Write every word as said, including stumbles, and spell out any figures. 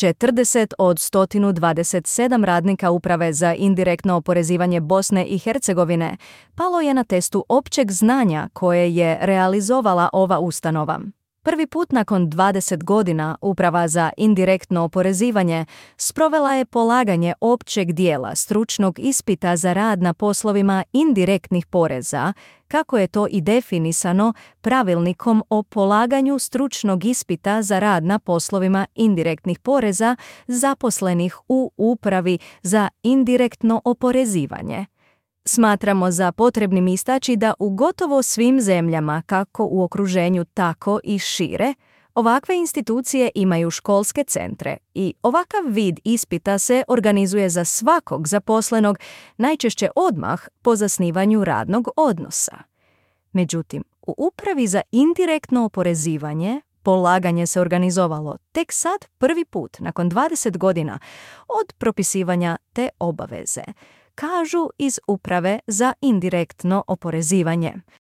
četrdeset od sto dvadeset sedam radnika Uprave za indirektno oporezivanje Bosne i Hercegovine palo je na testu općeg znanja koje je realizovala ova ustanova. Prvi put nakon dvadeset godina Uprava za indirektno oporezivanje sprovela je polaganje općeg dijela stručnog ispita za rad na poslovima indirektnih poreza, kako je to i definisano pravilnikom o polaganju stručnog ispita za rad na poslovima indirektnih poreza zaposlenih u Upravi za indirektno oporezivanje. Smatramo za potrebnim istaći da u gotovo svim zemljama, kako u okruženju tako i šire, ovakve institucije imaju školske centre i ovakav vid ispita se organizuje za svakog zaposlenog, najčešće odmah po zasnivanju radnog odnosa. Međutim, u Upravi za indirektno oporezivanje polaganje se organizovalo tek sad prvi put nakon dvadeset godina od propisivanja te obaveze, kažu iz Uprave za indirektno oporezivanje.